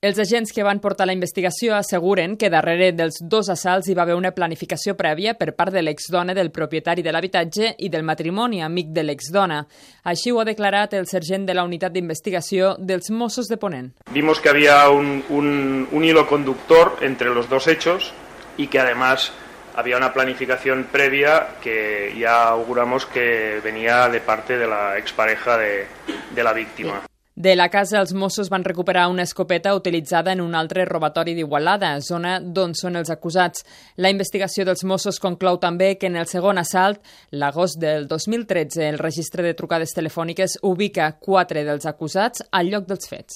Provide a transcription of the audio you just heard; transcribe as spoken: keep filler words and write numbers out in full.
Els agents que van portar la investigació asseguren que darrere dels dos assalts hi va haver una planificació prèvia per part de l'exdona del propietari de l'habitatge i del matrimoni amic de l'exdona. Així ho ha declarat el sergent de la unitat d'investigació dels Mossos de Ponent. Vimos que había un, un, un hilo conductor entre los dos hechos y que además había una planificación previa que ya auguramos que venía de parte de la expareja de, de la víctima. De la casa, els Mossos van recuperar una escopeta utilitzada en un altre robatori d'Igualada, zona d'on són els acusats. La investigació dels Mossos conclou també que en el segon assalt, l'agost del dos mil tretze, el registre de trucades telefòniques ubica quatre dels acusats al lloc dels fets.